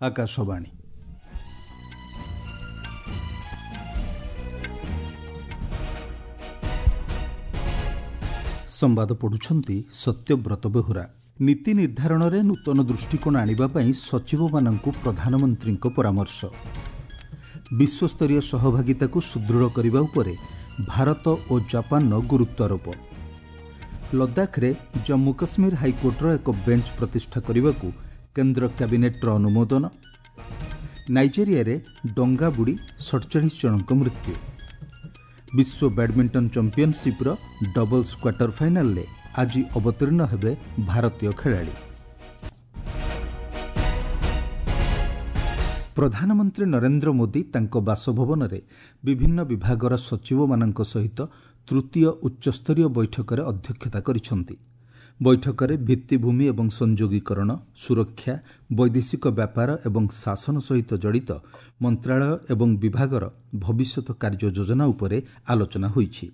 ଆକାଶବାଣୀ। ସମ୍ବାଦ ପଢ଼ୁଛନ୍ତି ସତ୍ୟବ୍ରତ ବେହୁରା। ନୀତି ନିର୍ଦ୍ଧାରଣରେ ନୂତନ ଦୃଷ୍ଟିକୋଣ ଆଣିବା ପାଇଁ ସଚିବମାନଙ୍କୁ ପ୍ରଧାନମନ୍ତ୍ରୀଙ୍କ ପରାମର୍ଶ। ବିଶ୍ୱସ୍ତରୀୟ ସହଭାଗିତାକୁ ସୁଦୃଢ଼ କରିବା ଉପରେ ଭାରତ ଓ ଜାପାନର ଗୁରୁତ୍ୱାରୋପ। ଲଦାଖରେ ଜମ୍ମୁ କାଶ୍ମୀର ହାଇକୋର୍ଟର ଏକ ବେଞ୍ଚ ପ୍ରତିଷ୍ଠା କରିବାକୁ କେନ୍ଦ୍ର କ୍ୟାବିନେଟ୍ର ଅନୁମୋଦନ। ନାଇଜେରିଆରେ ଡଙ୍ଗା ବୁଡ଼ି 47 ଜଣଙ୍କ ମୃତ୍ୟୁ। ବିଶ୍ୱ ବ୍ୟାଡ୍ମିଣ୍ଟନ ଚାମ୍ପିୟନସିପ୍ର ଡବଲ୍ସ କ୍ୱାର୍ଟର ଫାଇନାଲରେ ଆଜି ଅବତୀର୍ଣ୍ଣ ହେବେ ଭାରତୀୟ ଖେଳାଳି। ପ୍ରଧାନମନ୍ତ୍ରୀ ନରେନ୍ଦ୍ର ମୋଦି ତାଙ୍କ ବାସଭବନରେ ବିଭିନ୍ନ ବିଭାଗର ସଚିବମାନଙ୍କ ସହିତ ତୃତୀୟ ଉଚ୍ଚସ୍ତରୀୟ ବୈଠକରେ ଅଧ୍ୟକ୍ଷତା କରିଛନ୍ତି। ବୈଠକରେ ଭିତ୍ତିଭୂମି ଏବଂ ସଂଯୋଗୀକରଣ, ସୁରକ୍ଷା, ବୈଦେଶିକ ବ୍ୟାପାର ଏବଂ ଶାସନ ସହିତ ଜଡ଼ିତ ମନ୍ତ୍ରାଳୟ ଏବଂ ବିଭାଗର ଭବିଷ୍ୟତ କାର୍ଯ୍ୟ ଯୋଜନା ଉପରେ ଆଲୋଚନା ହୋଇଛି।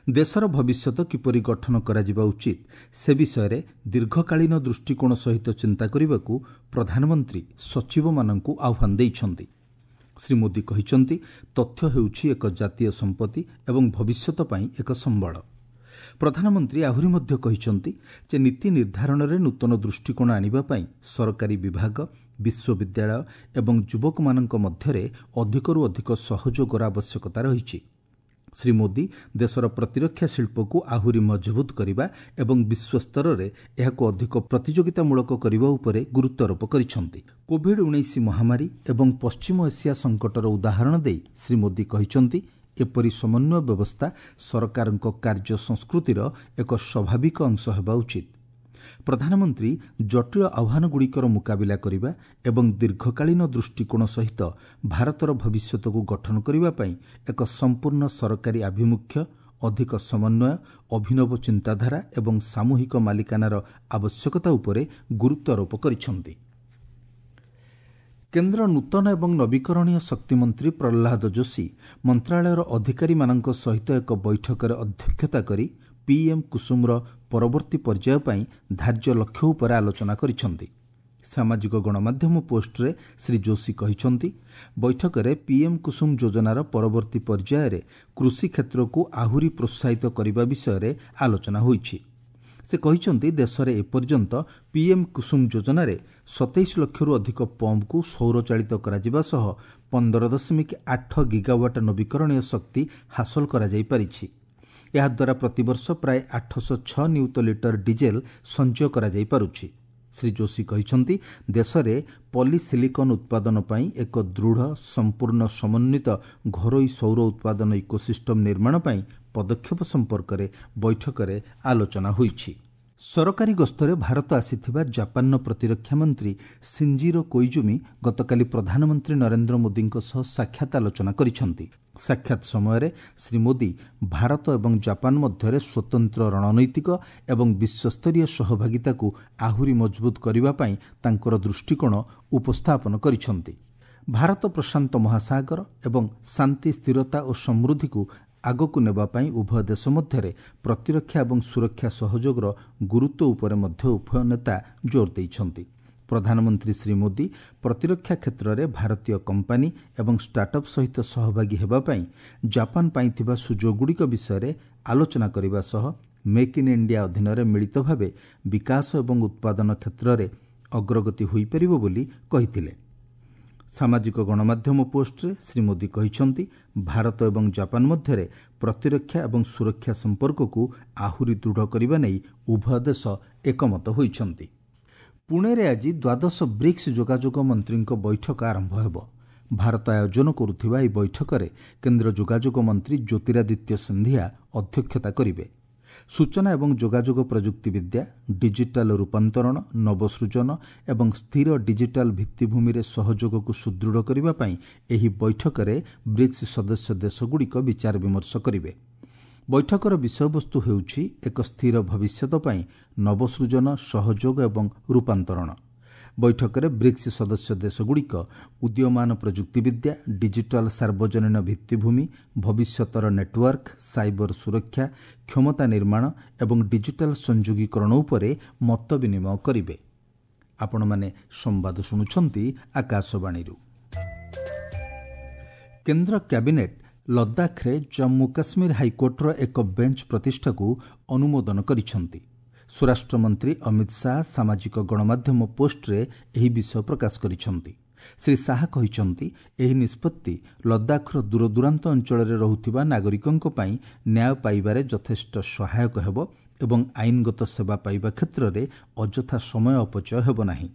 ଦେଶର ଭବିଷ୍ୟତ କିପରି ଗଠନ କରାଯିବା ଉଚିତ ସେ ବିଷୟରେ ଦୀର୍ଘକାଳୀନ ଦୃଷ୍ଟିକୋଣ ସହିତ ଚିନ୍ତା କରିବାକୁ ପ୍ରଧାନମନ୍ତ୍ରୀ ସଚିବମାନଙ୍କୁ ଆହ୍ୱାନ ଦେଇଛନ୍ତି। ଶ୍ରୀ ମୋଦି କହିଛନ୍ତି, ତଥ୍ୟ ହେଉଛି ଏକ ଜାତୀୟ ସମ୍ପତ୍ତି ଏବଂ ଭବିଷ୍ୟତ ପାଇଁ ଏକ ସମ୍ବଳ। ପ୍ରଧାନମନ୍ତ୍ରୀ ଆହୁରି ମଧ୍ୟ କହିଛନ୍ତି ଯେ ନୀତି ନିର୍ଦ୍ଧାରଣରେ ନୂତନ ଦୃଷ୍ଟିକୋଣ ଆଣିବା ପାଇଁ ସରକାରୀ ବିଭାଗ, ବିଶ୍ୱବିଦ୍ୟାଳୟ ଏବଂ ଯୁବକମାନଙ୍କ ମଧ୍ୟରେ ଅଧିକରୁ ଅଧିକ ସହଯୋଗର ଆବଶ୍ୟକତା ରହିଛି। ଶ୍ରୀ ମୋଦି ଦେଶର ପ୍ରତିରକ୍ଷା ଶିଳ୍ପକୁ ଆହୁରି ମଜବୁତ କରିବା ଏବଂ ବିଶ୍ୱସ୍ତରରେ ଏହାକୁ ଅଧିକ ପ୍ରତିଯୋଗିତାମୂଳକ କରିବା ଉପରେ ଗୁରୁତ୍ୱାରୋପ କରିଛନ୍ତି। କୋଭିଡ୍ 19 ମହାମାରୀ ଏବଂ ପଶ୍ଚିମ ଏସିଆ ସଙ୍କଟର ଉଦାହରଣ ଦେଇ ଶ୍ରୀ ମୋଦି କହିଛନ୍ତି, ଏପରି ସମନ୍ୱୟ ବ୍ୟବସ୍ଥା ସରକାରଙ୍କ କାର୍ଯ୍ୟ ସଂସ୍କୃତିର ଏକ ସ୍ୱାଭାବିକ ଅଂଶ ହେବା ଉଚିତ। ପ୍ରଧାନମନ୍ତ୍ରୀ ଜଟିଳ ଆହ୍ୱାନଗୁଡ଼ିକର ମୁକାବିଲା କରିବା ଏବଂ ଦୀର୍ଘକାଳୀନ ଦୃଷ୍ଟିକୋଣ ସହିତ ଭାରତର ଭବିଷ୍ୟତକୁ ଗଠନ କରିବା ପାଇଁ ଏକ ସମ୍ପୂର୍ଣ୍ଣ ସରକାରୀ ଆଭିମୁଖ୍ୟ, ଅଧିକ ସମନ୍ୱୟ, ଅଭିନବ ଚିନ୍ତାଧାରା ଏବଂ ସାମୂହିକ ମାଲିକାନାର ଆବଶ୍ୟକତା ଉପରେ ଗୁରୁତ୍ୱାରୋପ କରିଛନ୍ତି। କେନ୍ଦ୍ର ନୂତନ ଏବଂ ନବୀକରଣୀୟ ଶକ୍ତିମନ୍ତ୍ରୀ ପ୍ରହ୍ଲାଦ ଯୋଶୀ ମନ୍ତ୍ରାଳୟର ଅଧିକାରୀମାନଙ୍କ ସହିତ ଏକ ବୈଠକରେ ଅଧ୍ୟକ୍ଷତା କରି ପିଏମ୍ କୁସୁମର ପରବର୍ତ୍ତୀ ପର୍ଯ୍ୟାୟ ପାଇଁ ଧାର୍ଯ୍ୟ ଲକ୍ଷ୍ୟ ଉପରେ ଆଲୋଚନା କରିଛନ୍ତି। ସାମାଜିକ ଗଣମାଧ୍ୟମ ପୋଷ୍ଟରେ ଶ୍ରୀ ଯୋଶୀ କହିଛନ୍ତି, ବୈଠକରେ ପିଏମ୍ କୁସୁମ ଯୋଜନାର ପରବର୍ତ୍ତୀ ପର୍ଯ୍ୟାୟରେ କୃଷି କ୍ଷେତ୍ରକୁ ଆହୁରି ପ୍ରୋତ୍ସାହିତ କରିବା ବିଷୟରେ ଆଲୋଚନା ହୋଇଛି। ସେ କହିଛନ୍ତି, ଦେଶରେ ଏପର୍ଯ୍ୟନ୍ତ ପିଏମ୍ କୁସୁମ ଯୋଜନାରେ 27 ଲକ୍ଷରୁ ଅଧିକ ପମ୍ପକୁ ସୌରଚାଳିତ କରାଯିବା ସହ 15.8 ଗିଗାୱାଟ୍ ନବୀକରଣୀୟ ଶକ୍ତି ହାସଲ କରାଯାଇପାରିଛି। ଏହାଦ୍ୱାରା ପ୍ରତିବର୍ଷ ପ୍ରାୟ 806 ନିୟୁତ ଲିଟର ଡିଜେଲ ସଞ୍ଚୟ କରାଯାଇପାରୁଛି। ଶ୍ରୀ ଯୋଶୀ କହିଛନ୍ତି, ଦେଶରେ ପଲିସିଲିକନ୍ ଉତ୍ପାଦନ ପାଇଁ ଏକ ଦୃଢ଼, ସମ୍ପୂର୍ଣ୍ଣ ସମନ୍ୱିତ ଘରୋଇ ସୌର ଉତ୍ପାଦନ ଇକୋସିଷ୍ଟମ୍ ନିର୍ମାଣ ପାଇଁ ପଦକ୍ଷେପ ସମ୍ପର୍କରେ ବୈଠକରେ ଆଲୋଚନା ହୋଇଛି। ସରକାରୀ ଗସ୍ତରେ ଭାରତ ଆସିଥିବା ଜାପାନର ପ୍ରତିରକ୍ଷା ମନ୍ତ୍ରୀ ସିଞ୍ଜିରୋ କୋଇଜୁମି ଗତକାଲି ପ୍ରଧାନମନ୍ତ୍ରୀ ନରେନ୍ଦ୍ର ମୋଦିଙ୍କ ସହ ସାକ୍ଷାତ ଆଲୋଚନା କରିଛନ୍ତି। ସାକ୍ଷାତ ସମୟରେ ଶ୍ରୀ ମୋଦି ଭାରତ ଏବଂ ଜାପାନ ମଧ୍ୟରେ ସ୍ୱତନ୍ତ୍ର ରଣନୈତିକ ଏବଂ ବିଶ୍ୱସ୍ତରୀୟ ସହଭାଗିତାକୁ ଆହୁରି ମଜବୁତ କରିବା ପାଇଁ ତାଙ୍କର ଦୃଷ୍ଟିକୋଣ ଉପସ୍ଥାପନ କରିଛନ୍ତି। ଭାରତ ପ୍ରଶାନ୍ତ ମହାସାଗର ଏବଂ ଶାନ୍ତି, ସ୍ଥିରତା ଓ ସମୃଦ୍ଧିକୁ ଆଗକୁ ନେବା ପାଇଁ ଉଭୟ ଦେଶ ମଧ୍ୟରେ ପ୍ରତିରକ୍ଷା ଏବଂ ସୁରକ୍ଷା ସହଯୋଗର ଗୁରୁତ୍ୱ ଉପରେ ମଧ୍ୟ ଉଭୟ ନେତା ଜୋର ଦେଇଛନ୍ତି। ପ୍ରଧାନମନ୍ତ୍ରୀ ଶ୍ରୀ ମୋଦି ପ୍ରତିରକ୍ଷା କ୍ଷେତ୍ରରେ ଭାରତୀୟ କମ୍ପାନୀ ଏବଂ ଷ୍ଟାର୍ଟଅପ୍ ସହିତ ସହଭାଗୀ ହେବା ପାଇଁ ଜାପାନ ପାଇଁ ଥିବା ସୁଯୋଗଗୁଡ଼ିକ ବିଷୟରେ ଆଲୋଚନା କରିବା ସହ ମେକ୍ ଇନ୍ ଇଣ୍ଡିଆ ଅଧୀନରେ ମିଳିତ ଭାବେ ବିକାଶ ଏବଂ ଉତ୍ପାଦନ କ୍ଷେତ୍ରରେ ଅଗ୍ରଗତି ହୋଇପାରିବ ବୋଲି କହିଥିଲେ। ସାମାଜିକ ଗଣମାଧ୍ୟମ ପୋଷ୍ଟରେ ଶ୍ରୀ ମୋଦି କହିଛନ୍ତି, ଭାରତ ଏବଂ ଜାପାନ ମଧ୍ୟରେ ପ୍ରତିରକ୍ଷା ଏବଂ ସୁରକ୍ଷା ସମ୍ପର୍କକୁ ଆହୁରି ଦୃଢ଼ କରିବା ନେଇ ଉଭୟ ଦେଶ ଏକମତ ହୋଇଛନ୍ତି। ପୁଣେରେ ଆଜି ଦ୍ୱାଦଶ ବ୍ରିକ୍ସ ଯୋଗାଯୋଗ ମନ୍ତ୍ରୀଙ୍କ ବୈଠକ ଆରମ୍ଭ ହେବ। ଭାରତ ଆୟୋଜନ କରୁଥିବା ଏହି ବୈଠକରେ କେନ୍ଦ୍ର ଯୋଗାଯୋଗ ମନ୍ତ୍ରୀ ଜ୍ୟୋତିରାଦିତ୍ୟ ସିନ୍ଧିଆ ଅଧ୍ୟକ୍ଷତା କରିବେ। ସୂଚନା ଏବଂ ଯୋଗାଯୋଗ ପ୍ରଯୁକ୍ତିବିଦ୍ୟା, ଡିଜିଟାଲ ରୂପାନ୍ତରଣ, ନବସୃଜନ ଏବଂ ସ୍ଥିର ଡିଜିଟାଲ ଭିତ୍ତିଭୂମିରେ ସହଯୋଗକୁ ସୁଦୃଢ଼ କରିବା ପାଇଁ ଏହି ବୈଠକରେ ବ୍ରିକ୍ସ ସଦସ୍ୟ ଦେଶଗୁଡ଼ିକ ବିଚାର ବିମର୍ଶ କରିବେ। ବୈଠକର ବିଷୟବସ୍ତୁ ହେଉଛି ଏକ ସ୍ଥିର ଭବିଷ୍ୟତ ପାଇଁ ନବସୃଜନ, ସହଯୋଗ ଏବଂ ରୂପାନ୍ତରଣ। ବୈଠକରେ ବ୍ରିକ୍ସ ସଦସ୍ୟ ଦେଶଗୁଡ଼ିକ ଉଦୀୟମାନ ପ୍ରଯୁକ୍ତିବିଦ୍ୟା, ଡିଜିଟାଲ ସାର୍ବଜନୀନ ଭିତ୍ତିଭୂମି, ଭବିଷ୍ୟତର ନେଟୱାର୍କ, ସାଇବର ସୁରକ୍ଷା, କ୍ଷମତା ନିର୍ମାଣ ଏବଂ ଡିଜିଟାଲ ସଂଯୋଗୀକରଣ ଉପରେ ମତ ବିନିମୟ କରିବେ। ଆପଣମାନେ ସମ୍ବାଦ ଶୁଣୁଛନ୍ତି ଆକାଶବାଣୀରୁ। କେନ୍ଦ୍ର କ୍ୟାବିନେଟ୍ ଲଦାଖରେ ଜମ୍ମୁ କାଶ୍ମୀର ହାଇକୋର୍ଟର ଏକ ବେଞ୍ଚ ପ୍ରତିଷ୍ଠାକୁ ଅନୁମୋଦନ କରିଛନ୍ତି। ସ୍ୱରାଷ୍ଟ୍ରମନ୍ତ୍ରୀ ଅମିତ ଶାହା ସାମାଜିକ ଗଣମାଧ୍ୟମ ପୋଷ୍ଟରେ ଏହି ବିଷୟ ପ୍ରକାଶ କରିଛନ୍ତି। ଶ୍ରୀ ଶାହା କହିଛନ୍ତି, ଏହି ନିଷ୍ପତ୍ତି ଲଦାଖର ଦୂରଦୂରାନ୍ତ ଅଞ୍ଚଳରେ ରହୁଥିବା ନାଗରିକଙ୍କ ପାଇଁ ନ୍ୟାୟ ପାଇବାରେ ଯଥେଷ୍ଟ ସହାୟକ ହେବ ଏବଂ ଆଇନଗତ ସେବା ପାଇବା କ୍ଷେତ୍ରରେ ଅଯଥା ସମୟ ଅପଚୟ ହେବ ନାହିଁ।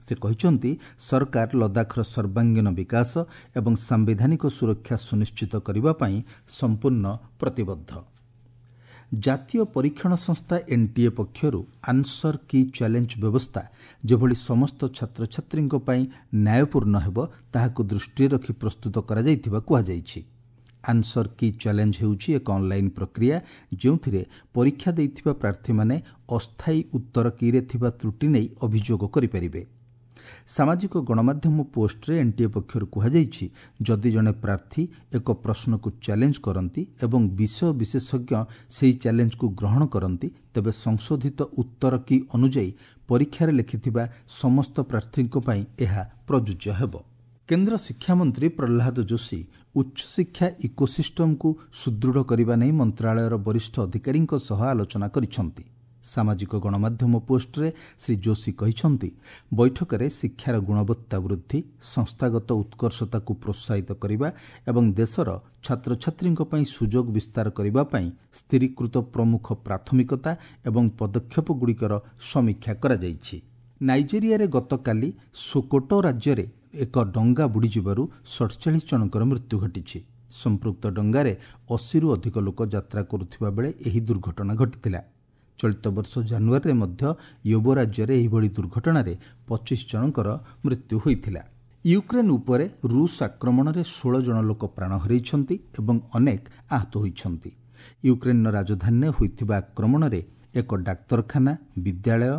ସେ କହିଛନ୍ତି, ସରକାର ଲଦାଖର ସର୍ବାଙ୍ଗୀନ ବିକାଶ ଏବଂ ସାମ୍ବିଧାନିକ ସୁରକ୍ଷା ସୁନିଶ୍ଚିତ କରିବା ପାଇଁ ସମ୍ପୂର୍ଣ୍ଣ ପ୍ରତିବଦ୍ଧ। ଜାତୀୟ ପରୀକ୍ଷଣ ସଂସ୍ଥା ଏନ୍ଟିଏ ପକ୍ଷରୁ ଆନ୍ସର କି ଚ୍ୟାଲେଞ୍ଜ ବ୍ୟବସ୍ଥା ଯେଭଳି ସମସ୍ତ ଛାତ୍ରଛାତ୍ରୀଙ୍କ ପାଇଁ ନ୍ୟାୟପୂର୍ଣ୍ଣ ହେବ, ତାହାକୁ ଦୃଷ୍ଟିରେ ରଖି ପ୍ରସ୍ତୁତ କରାଯାଇଥିବା କୁହାଯାଇଛି। ଆନ୍ସର କି ଚ୍ୟାଲେଞ୍ଜ ହେଉଛି ଏକ ଅନ୍ଲାଇନ୍ ପ୍ରକ୍ରିୟା, ଯେଉଁଥିରେ ପରୀକ୍ଷା ଦେଇଥିବା ପ୍ରାର୍ଥୀମାନେ ଅସ୍ଥାୟୀ ଉତ୍ତର କିରେ ଥିବା ତ୍ରୁଟି ନେଇ ଅଭିଯୋଗ କରିପାରିବେ। ସାମାଜିକ ଗଣମାଧ୍ୟମ ପୋଷ୍ଟରେ ଏନ୍ଟିଏ ପକ୍ଷରୁ କୁହାଯାଇଛି, ଯଦି ଜଣେ ପ୍ରାର୍ଥୀ ଏକ ପ୍ରଶ୍ନକୁ ଚ୍ୟାଲେଞ୍ଜ କରନ୍ତି ଏବଂ ବିଷୟ ବିଶେଷଜ୍ଞ ସେହି ଚ୍ୟାଲେଞ୍ଜକୁ ଗ୍ରହଣ କରନ୍ତି, ତେବେ ସଂଶୋଧିତ ଉତ୍ତର କି ଅନୁଯାୟୀ ପରୀକ୍ଷାରେ ଲେଖିଥିବା ସମସ୍ତ ପ୍ରାର୍ଥୀଙ୍କ ପାଇଁ ଏହା ପ୍ରଯୁଜ୍ୟ ହେବ। କେନ୍ଦ୍ର ଶିକ୍ଷାମନ୍ତ୍ରୀ ପ୍ରହ୍ଲାଦ ଯୋଶୀ ଉଚ୍ଚଶିକ୍ଷା ଇକୋସିଷ୍ଟମକୁ ସୁଦୃଢ଼ କରିବା ନେଇ ମନ୍ତ୍ରାଳୟର ବରିଷ୍ଠ ଅଧିକାରୀଙ୍କ ସହ ଆଲୋଚନା କରିଛନ୍ତି। ସାମାଜିକ ଗଣମାଧ୍ୟମ ପୋଷ୍ଟରେ ଶ୍ରୀ ଯୋଶୀ କହିଛନ୍ତି, ବୈଠକରେ ଶିକ୍ଷାର ଗୁଣବତ୍ତା ବୃଦ୍ଧି, ସଂସ୍ଥାଗତ ଉତ୍କର୍ଷତାକୁ ପ୍ରୋତ୍ସାହିତ କରିବା ଏବଂ ଦେଶର ଛାତ୍ରଛାତ୍ରୀଙ୍କ ପାଇଁ ସୁଯୋଗ ବିସ୍ତାର କରିବା ପାଇଁ ସ୍ଥିରୀକୃତ ପ୍ରମୁଖ ପ୍ରାଥମିକତା ଏବଂ ପଦକ୍ଷେପଗୁଡ଼ିକର ସମୀକ୍ଷା କରାଯାଇଛି। ନାଇଜେରିଆରେ ଗତକାଲି ସୋକୋଟୋ ରାଜ୍ୟରେ ଏକ ଡଙ୍ଗା ବୁଡ଼ିଯିବାରୁ 47 ଜଣଙ୍କର ମୃତ୍ୟୁ ଘଟିଛି। ସମ୍ପୃକ୍ତ ଡଙ୍ଗାରେ 80ରୁ ଅଧିକ ଲୋକ ଯାତ୍ରା କରୁଥିବା ବେଳେ ଏହି ଦୁର୍ଘଟଣା ଘଟିଥିଲା। ଚଳିତ ବର୍ଷ ଜାନୁଆରୀରେ ମଧ୍ୟ ୟୋବୋ ରାଜ୍ୟରେ ଏହିଭଳି ଦୁର୍ଘଟଣାରେ 25 ଜଣଙ୍କର ମୃତ୍ୟୁ ହୋଇଥିଲା। ୟୁକ୍ରେନ୍ ଉପରେ ରୁଷ ଆକ୍ରମଣରେ 16 ଜଣ ଲୋକ ପ୍ରାଣ ହରାଇଛନ୍ତି ଏବଂ ଅନେକ ଆହତ ହୋଇଛନ୍ତି। ୟୁକ୍ରେନ୍ର ରାଜଧାନୀରେ ହୋଇଥିବା ଆକ୍ରମଣରେ ଏକ ଡାକ୍ତରଖାନା, ବିଦ୍ୟାଳୟ,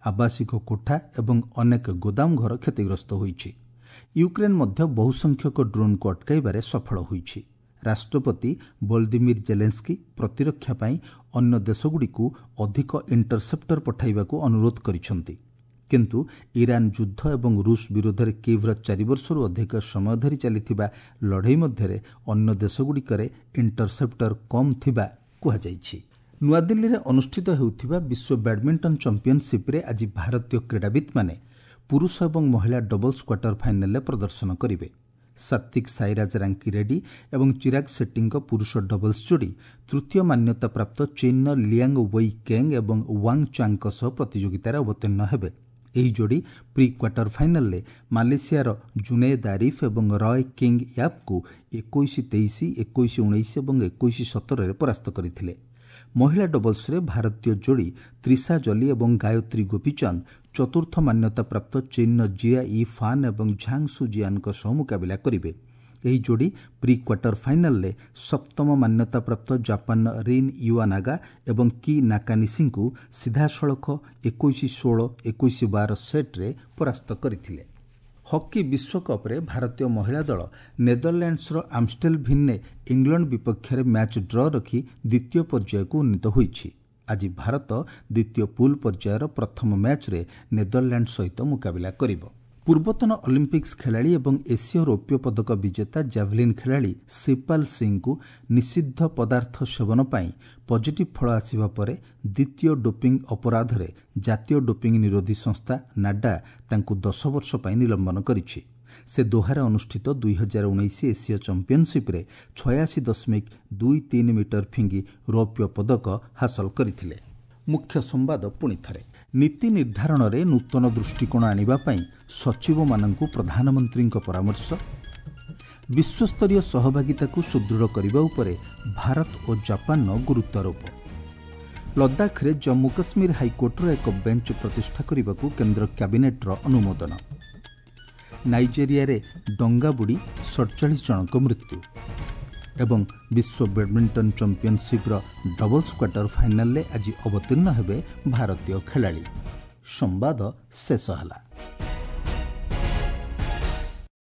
ଆବାସିକ କୋଠା ଏବଂ ଅନେକ ଗୋଦାମ ଘର କ୍ଷତିଗ୍ରସ୍ତ ହୋଇଛି। ୟୁକ୍ରେନ୍ ମଧ୍ୟ ବହୁସଂଖ୍ୟକ ଡ୍ରୋନ୍କୁ ଅଟକାଇବାରେ ସଫଳ ହୋଇଛି। ରାଷ୍ଟ୍ରପତି ଭୋଲଦିମିର ଜେଲେନ୍ସ୍କି ପ୍ରତିରକ୍ଷା ପାଇଁ ଅନ୍ୟ ଦେଶଗୁଡ଼ିକୁ ଅଧିକ ଇଣ୍ଟରସେପ୍ଟର ପଠାଇବାକୁ ଅନୁରୋଧ କରିଛନ୍ତି। କିନ୍ତୁ ଇରାନ ଯୁଦ୍ଧ ଏବଂ ରୁଷ ବିରୋଧରେ କିଭ୍ର 4 ବର୍ଷରୁ ଅଧିକ ସମୟ ଧରି ଚାଲିଥିବା ଲଢ଼େଇ ମଧ୍ୟରେ ଅନ୍ୟ ଦେଶଗୁଡ଼ିକରେ ଇଣ୍ଟରସେପ୍ଟର କମ୍ ଥିବା କୁହାଯାଇଛି। ନୂଆଦିଲ୍ଲୀରେ ଅନୁଷ୍ଠିତ ହେଉଥିବା ବିଶ୍ୱ ବ୍ୟାଡମିଣ୍ଟନ ଚାମ୍ପିୟନସିପ୍ରେ ଆଜି ଭାରତୀୟ କ୍ରୀଡ଼ାବିତ୍ମାନେ ପୁରୁଷ ଏବଂ ମହିଳା ଡବଲ୍ସ କ୍ୱାର୍ଟର ଫାଇନାଲରେ ପ୍ରଦର୍ଶନ କରିବେ। ସାତ୍ୱିକ ସାଇରାଜ ରାଙ୍କି ରେଡ୍ଡି ଏବଂ ଚିରାଗ ସେଟ୍ଟୀଙ୍କ ପୁରୁଷ ଡବଲ୍ସ ଯୋଡ଼ି ତୃତୀୟ ମାନ୍ୟତାପ୍ରାପ୍ତ ଚୀନ୍ର ଲିଆଙ୍ଗ ୱେଇ କେଙ୍ଗ ଏବଂ ୱାଙ୍ଗ ଚାଙ୍ଗଙ୍କ ସହ ପ୍ରତିଯୋଗିତାରେ ଅବତୀର୍ଣ୍ଣ ହେବେ। ଏହି ଯୋଡ଼ି ପ୍ରି କ୍ୱାର୍ଟର ଫାଇନାଲରେ ମାଲେସିଆର ଜୁନେଦ ଆରିଫ ଏବଂ ରୟ କିଙ୍ଗ ୟାପ୍ଙ୍କୁ 21-23, 21-19 ଏବଂ 21-17ରେ ପରାସ୍ତ କରିଥିଲେ। ମହିଳା ଡବଲ୍ସରେ ଭାରତୀୟ ଯୋଡ଼ି ତ୍ରିଷା ଜଲି ଏବଂ ଗାୟତ୍ରୀ ଗୋପୀଚାନ୍ଦ ଚତୁର୍ଥ ମାନ୍ୟତାପ୍ରାପ୍ତ ଚୀନ୍ର ଜିଆ ଇ ଫାନ୍ ଏବଂ ଝାଙ୍ଗ ସୁ ଜିଆନ୍ଙ୍କ ସହ ମୁକାବିଲା କରିବେ। ଏହି ଯୋଡ଼ି ପ୍ରି କ୍ୱାର୍ଟର ଫାଇନାଲରେ ସପ୍ତମ ମାନ୍ୟତାପ୍ରାପ୍ତ ଜାପାନର ରିନ୍ ୟୁଆନାଗା ଏବଂ କି ନାକାନିସିଙ୍କୁ ସିଧାସଳଖ 21-16, 21-12 ସେଟ୍ରେ ପରାସ୍ତ କରିଥିଲେ। ହକି ବିଶ୍ୱକପ୍ରେ ଭାରତୀୟ ମହିଳା ଦଳ ନେଦରଲ୍ୟାଣ୍ଡସର ଆମଷ୍ଟେଲଭିନ୍ରେ ଇଂଲଣ୍ଡ ବିପକ୍ଷରେ ମ୍ୟାଚ୍ ଡ୍ର ରଖି ଦ୍ୱିତୀୟ ପର୍ଯ୍ୟାୟକୁ ଉନ୍ନୀତ ହୋଇଛି। ଆଜି ଭାରତ ଦ୍ୱିତୀୟ ପୁଲ୍ ପର୍ଯ୍ୟାୟର ପ୍ରଥମ ମ୍ୟାଚ୍ରେ ନେଦରଲ୍ୟାଣ୍ଡ ସହିତ ମୁକାବିଲା କରିବ। ପୂର୍ବତନ ଅଲିମ୍ପିକ୍ସ ଖେଳାଳି ଏବଂ ଏସୀୟ ରୌପ୍ୟ ପଦକ ବିଜେତା ଜାଭେଲିନ୍ ଖେଳାଳି ଶିବପାଲ ସିଂଙ୍କୁ ନିଷିଦ୍ଧ ପଦାର୍ଥ ସେବନ ପାଇଁ ପଜିଟିଭ୍ ଫଳ ଆସିବା ପରେ ଦ୍ୱିତୀୟ ଡୋପିଂ ଅପରାଧରେ ଜାତୀୟ ଡୋପିଂ ନିରୋଧୀ ସଂସ୍ଥା ନାଡା ତାଙ୍କୁ 10 ବର୍ଷ ପାଇଁ ନିଲମ୍ବନ କରିଛି। ସେ ଦୋହାରେ ଅନୁଷ୍ଠିତ 2019 ଏସୀୟ ଚାମ୍ପିୟନସିପ୍ରେ 86.23 ମିଟର ଫିଙ୍ଗି ରୌପ୍ୟ ପଦକ ହାସଲ କରିଥିଲେ। ମୁଖ୍ୟ ସମ୍ବାଦ ପୁଣି ଥରେ। ନୀତି ନିର୍ଦ୍ଧାରଣରେ ନୂତନ ଦୃଷ୍ଟିକୋଣ ଆଣିବା ପାଇଁ ସଚିବମାନଙ୍କୁ ପ୍ରଧାନମନ୍ତ୍ରୀଙ୍କ ପରାମର୍ଶ। ବିଶ୍ୱସ୍ତରୀୟ ସହଭାଗିତାକୁ ସୁଦୃଢ଼ କରିବା ଉପରେ ଭାରତ ଓ ଜାପାନର ଗୁରୁତ୍ୱାରୋପ। ଲଦାଖରେ ଜମ୍ମୁ କାଶ୍ମୀର ହାଇକୋର୍ଟର ଏକ ବେଞ୍ଚ ପ୍ରତିଷ୍ଠା କରିବାକୁ କେନ୍ଦ୍ର କ୍ୟାବିନେଟ୍ର ଅନୁମୋଦନ। ନାଇଜେରିଆରେ ଡଙ୍ଗା ବୁଡ଼ି 47 ଜଣଙ୍କ ମୃତ୍ୟୁ। ଏବଂ ବିଶ୍ୱ ବ୍ୟାଡମିଣ୍ଟନ ଚାମ୍ପିୟନସିପ୍ର ଡବଲ୍ସ କ୍ୱାର୍ଟର ଫାଇନାଲରେ ଆଜି ଅବତୀର୍ଣ୍ଣ ହେବେ ଭାରତୀୟ ଖେଳାଳି। ସମ୍ବାଦ ଶେଷ ହେଲା।